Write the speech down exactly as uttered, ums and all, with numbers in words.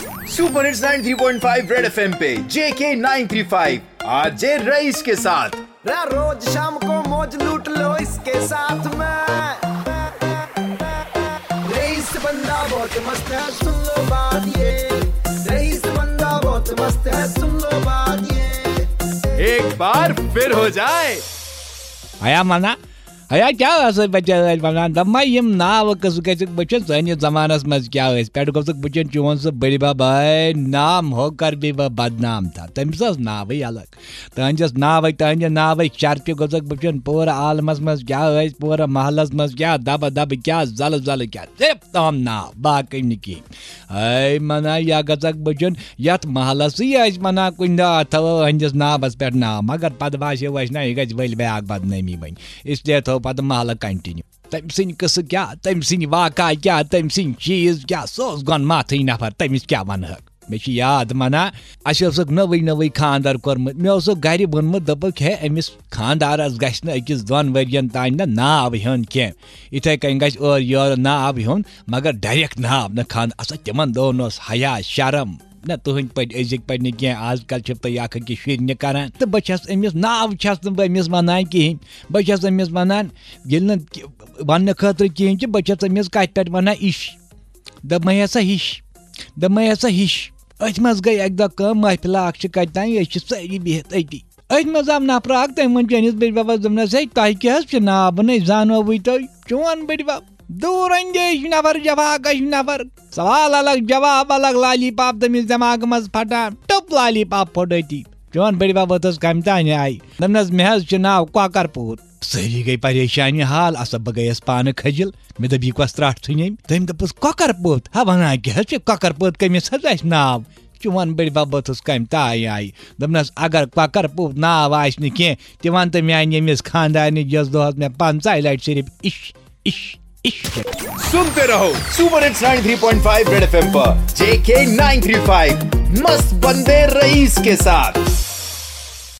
Super hits ninety three point five red FM पे J K nine three five RJ Raees के साथ। रा रोज शाम को मौज लूट लो इसके साथ में। रईस बंदा बहुत मस्त है, सुन लो बात ये। रईस बंदा बहुत मस्त है, सुन लो बात ये। एक बार फिर हो जाए। ہیا منا، ہیا کیٛاہ ٲسٕے بچہ ٲسۍ ونان؟ دپمَے یِم ناوٕ قٕصہٕ گٔژھِکھ وٕچھِنۍ، سٲنِس زمانس منٛز کیٛاہ ٲسۍ؟ پٮ۪ٹھٕ گوٚژھُکھ وٕچھُن چون سُہ بٔڈِ بب، ہے نام ہو کر بھی وہ بدنام تھا، تٔمِس ٲس ناوٕے الگ۔ تہنٛدِس ناوٕے، تہنٛدِ ناوٕے شرفہِ گوٚژھُکھ وٕچھُن، پوٗرٕ عالمس منٛز کیٛاہ ٲسۍ، پوٗرٕ محلس منٛز کیٛاہ دبہٕ دبہٕ، کیٛاہ زلہٕ زلہٕ، کیٛاہ صرف تام ناو، باقٕے نہٕ کینٛہہ۔ ہے منا، یا گژھکھ بہٕ چھُن یتھ محلس سٕے ٲسۍ ونان کُنہِ دۄہ، اتھ تھاوو أہنٛدِس ناوس پٮ۪ٹھ ناو، مگر پتہٕ باسیو اسہِ نہ، یہِ گژھِ ؤلۍ بیاکھ بدنٲمی وۄنۍ، اس لیے تھوو پتہٕ محلہٕ کنٹینیو۔ تٔمۍ سٕنٛدۍ قصہٕ کیٛاہ، تٔمۍ سٕنٛدۍ واقعہ کیٛاہ، تٔمۍ سٕنٛدۍ چیٖز کیٛاہ، سُہ اوس گۄن ماتھٕے نفر، تٔمِس کیٛاہ ونہٕ ہکھ؟ مےٚ چھِ یاد منا، اسہِ اوسُکھ نٔوٕے نٔوٕے خانٛدر کوٚرمُت، مےٚ اوسُکھ گرِ ووٚنمُت، دوٚپُکھ، ہے، أمِس خانٛدارس گژھِ نہٕ أکِس دۄن ؤرین تانۍ نہٕ ناو ہیوٚن کینٛہہ۔ یِتھے کٔنۍ گژھِ اورٕ یورٕ ناو ہیوٚن، مگر ڈائریکٹ ناو نہٕ خانٛدر۔ اصل تِمن دۄہن اوس حیا، شرم۔ نہ، تُہنٛدۍ پٲٹھۍ أزِکۍ پٲٹھۍ نہٕ کینٛہہ، آز کل چھِ تُہۍ اکھ أکِس شُرۍ نہِ کران۔ تہٕ بہٕ چھس أمِس، ناو چھس نہٕ بہٕ أمِس ونان کِہینۍ۔ بہٕ چھس أمِس ونان، ییٚلہِ نہٕ وننہٕ خٲطرٕ کِہینۍ چھِ، بہٕ چھس أمِس کتھِ پٮ۪ٹھ ونان، اِش۔ دوٚپمَے ہسا ہِش، دوٚپمَے ہسا ہِش۔ أتھۍ منٛز گٔے اکہِ دۄہ کٲم، محفلہ اکھ چھِ کتہِ تام، أسۍ چھِ سٲری بِہِتھ أتی۔ أتھۍ منٛز آو نفرا اکھ، تٔمۍ ووٚن چٲنِس بٔڈۍ ببس، دوٚپنس، ہے، تۄہہِ کیٛاہ حظ چھُ ناو؟ بہٕ نے زانووٕے تۄہہِ۔ چون بٔڈۍ بب، دوٗر اندیش نفر، جفاکش نفر۔ سوال الگ، جواب الگ، لالی پاپ تٔمِس دٮ۪ماغہٕ منٛز پھٹان، ٹوٚپ لالی پاپ پھوٚٹ أتی۔ چون بٔڈۍ بب ووٚتھُس کمہِ تانۍ آیہِ۔ دوٚپنس، مےٚ حظ چھُ ناو کۄکر پوٗت۔ سٲری گٔے پریشانی حال، اصل بہٕ گٔیس پانہٕ کھجل۔ مےٚ دوٚپ، یہِ کۄس ترٛٹھ ژھٕنۍ أمۍ؟ تٔمۍ دوٚپُس، کۄکر پوٗت۔ ہا، ونان کیٛاہ حظ چھِ؟ کۄکر پوٗت کٔمِس حظ آسہِ ناو؟ چون بٔڈۍ بب ووٚتھُس کمہِ تانۍ آیہِ۔ دوٚپنس، اگر کۄکر پوٗت ناو آسہِ نہٕ کینٛہہ، تہِ ون تہٕ میانہِ ییٚمِس خانٛدارنہِ، یۄس دۄہس مےٚ پنٛژاہ لٹہِ صرف اِش، اِش، اِش۔ सुनते रहो super hits ninety three point five red FM पर जेके नाइन थ्री फ़ाइव, मस्त बंदे रईस के साथ।